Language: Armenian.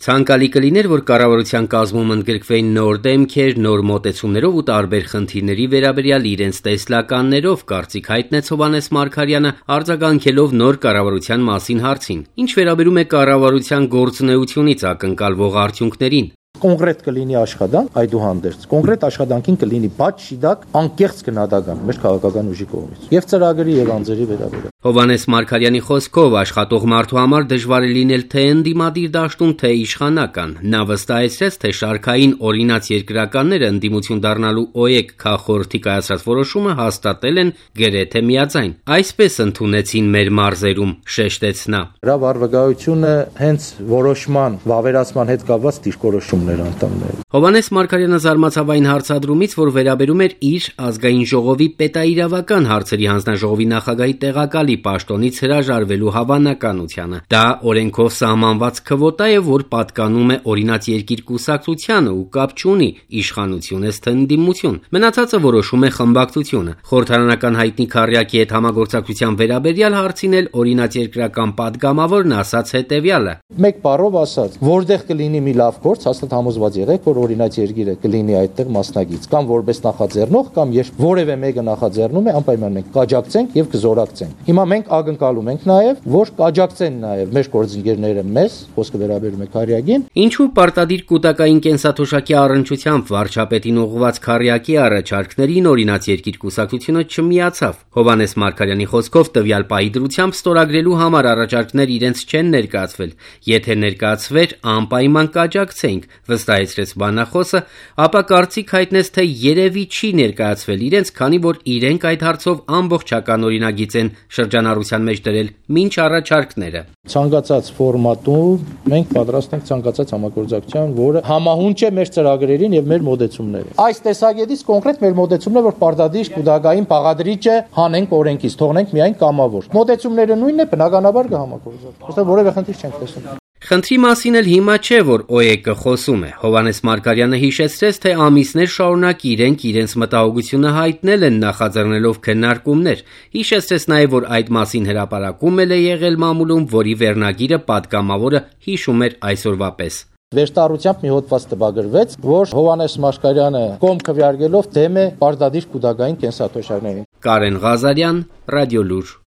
Ցանկալի կլիներ, որ կառավարության կազմում ընդգրկվեին նոր դեմքեր, նոր մոտեցումներով ու տարբեր խնդիրների վերաբերյալ իրենց տեսլականներով, կարծիք հայտնեց Հովհաննես Մարգարյանը, արձագանքելով նոր կառավարության մասին հարցին, ինչ վերաբերում է կառավարության գործունեությունից ակնկալվող արդյունքներին։ Կոնկրետ կլինի աշխատանք, այդուհանդերձ կոնկրետ աշխատանքին կլինի բաց շիդակ անկեղծ գնահատական մեր քաղաքական ուժի կողմից եւ ծրագրի եւ անձերի վերաբերյալ։ Հովհաննես Մարգարյանի խոսքով աշխատող մարդու համար դժվար է լինել թե ընդդիմադիր դաշտում, թե իշխանական։ Նա վստահեցրեց, թե շարքային օրինաց երկրականները ընդդիմություն դառնալու ՕԵԿ քաղաքորդի կայացրած որոշումը հաստատել են գրեթե միաձայն։ Այսպես ընդունեցին մեր մարզերում, շեշտեց նա։ Դրա վարվագայությունը հենց որոշման վավերացման հետ կապված դիրքորոշումներ անդամներ։ Հովհաննես Մարգարյանը զարմացավ այն հարցադրումից, որ վերաբերում էր իր ազգային ժողովի պետաիրավական հարցերի հանձնաժողովի նախագահի տեղակալի պաշտոնից հրաժարվելու հավանականությանը։ Դա օրենքով սահմանված քվոտա է, որ պատկանում է օրինաց երկիր կուսակցությանը ու կապ չունի իշխանություն է թե ընդդիմություն։ Մնացածը որոշում է խմբակցությունը։ Խորհրդարանական հայտնի քառյակի հետ համագործակցության վերաբերյալ հարցին էլ օրինաց երկրական падգամավորն ասաց հետևյալը. Մեկ բառով ասած, որտեղ կլինի մի լավ գործ, հաստատ համոզված եղեք, որ օրինաց երկիրը կլինի այդտեղ մասնագիծ, կամ որպես նախաձեռնող, կամ երբ որևէ մեկը նախաձեռնում է, անպայման մենք կաջակցենք եւ կզորակցենք։ Հիմա մենք ակնկալում ենք նաեւ, որ կաջակցեն նաեւ մեր գործընկերները մեզ, խոսքը վերաբերում է քառյակին։ Ինչու պարտադիր կൂട്ടակային կենսաթոշակի առնչությամբ վարչապետին ուղղված քառյակի առաջարկներին օրինաց երկիր կուսակցությունը չմիացավ։ Հովհաննես Մարգարյանի խոսքով տվյալ պահի դրությամբ ստորագրելու համար առաջարկներ իրենց չեն ներկայացվել։ Եթե ներկայացվեր, անպայման կաջակցենք, վստահեցրեց բանախոսը, ապա կարծիք հայտնեց, թե երևի չի ներկայացվել իրենց, քանի որ իրենք այդ հարցով ամբողջական օրինագիծ են շրջանառության մեջ դրել մինչ առաջարկները։ Ցանկացած ֆորմատում մենք պատրաստ ենք ցանկացած համագործակցության, որը համահունչ է մեր ծրագրերին եւ մեր մոդեցումներին։ Այս տեսակետից կոնկրետ մեր մոդեցումն է, որ պարտադիր կուտակային բաղադրիչը հանենք օրենքից, թողնենք միայն կամավոր։ Մոդեցումները նույնն է, բնականաբար կհամագործակցենք։ Ոստեղ որևէ խնդիր չենք տեսնում։ Խնդրի մասին էլ հիմա չէ, որ ՕԵԿ-ը խոսում է։ Հովհաննես Մարգարյանը հիշեցրեց, թե ամիսներ շարունակ իրենց մտահոգությունը հայտնել են նախաձեռնելով քննարկումներ։ Հիշեցրեց նաև, որ այդ մասին հրապարակում էլ է եղել մամուլում, որի վերնագիրը պատգամավորը հիշում էր այսօրվա պես։ Վերստառությամբ մի հոդված տպագրվեց, որ Հովհաննես Մարգարյանը կողմ քվեարկելով դեմ է պարտադիր կուտակային կենսաթոշակներին։ Կարեն Ղազարյան, Ռադիոլուր։